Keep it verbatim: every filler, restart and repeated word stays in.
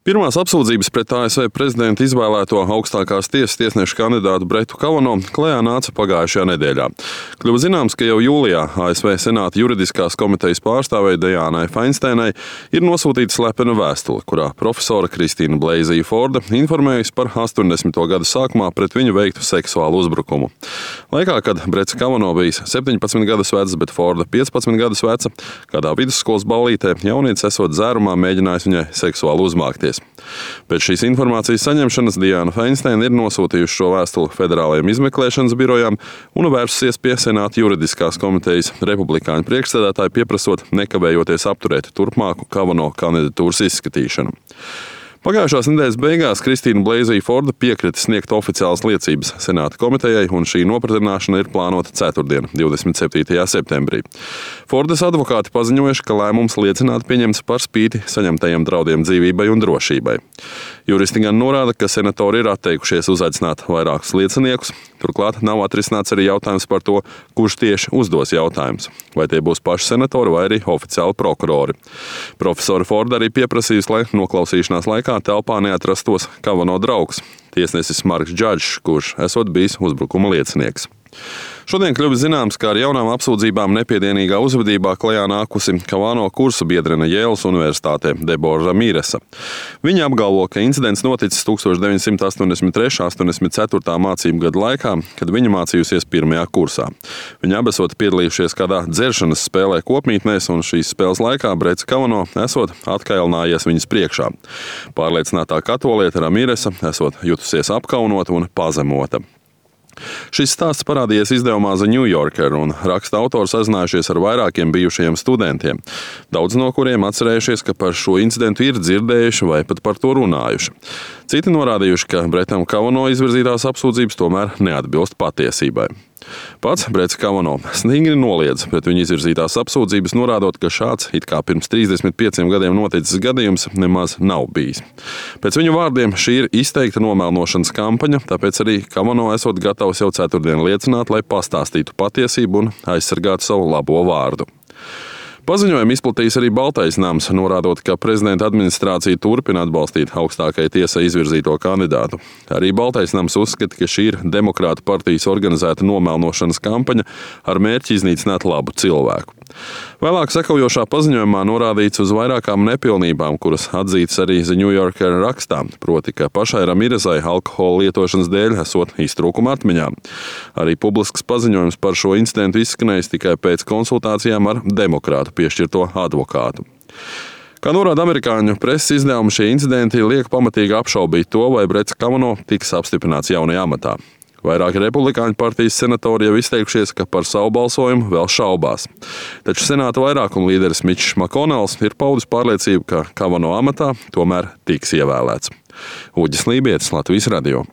Pirmās apsūdzības pret A S V prezidenta izvēlēto augstākās tiesas tiesnešu kandidātu Bretu Kavano klajā nāca pagājušajā nedēļā. Kļuva zināms, ka jau jūlijā A S V Senāta juridiskās komitejas pārstāvei Dianai Feinsteinai ir nosūtīta slepena vēstule, kurā profesora Kristīna Bleizija Forda informējusi par astoņdesmito gadu sākumā pret viņu veiktu seksuālu uzbrukumu. Laikā, kad Brets Kavano bijis septiņpadsmit gadus vecs, bet Forda piecpadsmit gadus veca, kādā vidusskolas ballītē jaunietis esot dzērumā mēģinājis viņai seksuāli uzmākties. Pēc šīs informācijas saņemšanas Diana Feinsteina ir nosūtījusi šo vēstuli federālajiem izmeklēšanas birojām un vērsusies pie Senāta juridiskās komitejas republikāņu priekšsēdētāju, pieprasot nekavējoties apturēt turpmāku Kavano kandidatūras izskatīšanu. Pagājušās nedēļas beigās Kristīna Bleizija Forda piekrita sniegt oficiālas liecības Senāta komitejai, un šī nopratināšana ir plānota ceturtdien, divdesmit septītajā septembrī. Fordas advokāti paziņojuši, ka lēmums liecināt pieņemts par spīti saņemtajiem draudiem dzīvībai un drošībai. Juristi gan norāda, ka senatori ir atteikušies uzaicināt vairākus lieciniekus, turklāt nav atrisināts arī jautājums par to, kurš tieši uzdos jautājumus. Vai tie būs paši senatori vai arī oficiāli prokurori. Profesora Forda arī pieprasījusi, lai noklausīšanās laikā telpā neatrastos Kavano draugs, tiesnesis Marks Džadžs, kurš esot bijis uzbrukuma liecinieks. Šodien kļuvis zināms, ka ar jaunām apsūdzībām nepiedienīgā uzvedībā klajā nākusi Kavano kursu biedrene Jēlas universitātē Debora Ramīresa. Viņa apgalvo, ka incidents noticis tukstovš deviņsimt astoņdesmit trešā astoņdesmit ceturtā mācību gada laikā, kad viņa mācījusies pirmajā kursā. Viņa abi esot piedalījušies kādā dzeršanas spēlē kopmītnēs, un šīs spēles laikā Brets Kavano esot atkailinājies viņas priekšā. Pārliecinātā katoliete Ramīresa esot jutusies apkaunota un pazemota. Šis stāsts parādījies izdevumā The New Yorker, un raksta autori sazinājušies ar vairākiem bijušajiem studentiem, daudz no kuriem atcerējušies, ka par šo incidentu ir dzirdējuši vai pat par to runājuši. Citi norādījuši, ka Bretam Kavano izvirzītās apsūdzības tomēr neatbilst patiesībai. Pats Brets Kavano stingri noliedz pret viņu izvirzītās apsūdzības, norādot, ka šāds, it kā pirms trīsdesmit pieciem gadiem noticis gadījums, nemaz nav bijis. Pēc viņu vārdiem šī ir izteikta nomelnošanas kampaņa, tāpēc arī Kavano esot gatavs jau ceturtdien liecināt, lai pastāstītu patiesību un aizsargātu savu labo vārdu. Paziņojumu izplatījis arī Baltais nams, norādot, ka prezidenta administrācija turpina atbalstīt augstākajai tiesai izvirzīto kandidātu. Arī Baltais nams uzskata, ka šī ir Demokrātu partijas organizēta nomelnošanas kampaņa ar mērķi iznīcināt labu cilvēku. Vēlāk sekojošā paziņojumā norādīts uz vairākām nepilnībām, kuras atzītas arī The New Yorker rakstā, proti, ka pašai Ramirezai alkohola lietošanas dēļ esot iztrūkuma atmiņā. Arī publisks paziņojums par šo incidentu izskanējis tikai pēc konsultācijām ar Demokrātu piešķirto advokātu. Kā norāda amerikāņu preses izdevumi, šie incidenti liek pamatīgi apšaubīt to, vai Brets Kavano tiks apstiprināts jaunajā amatā. Vairāki republikāņu partijas senatori jau izteikušies, ka par savu balsojumu vēl šaubās. Taču Senāta vairākuma līderis Mičs Makonels ir paudis pārliecību, ka Kavano amatā tomēr tiks ievēlēts. Uģis Lībietis, Latvijas radio.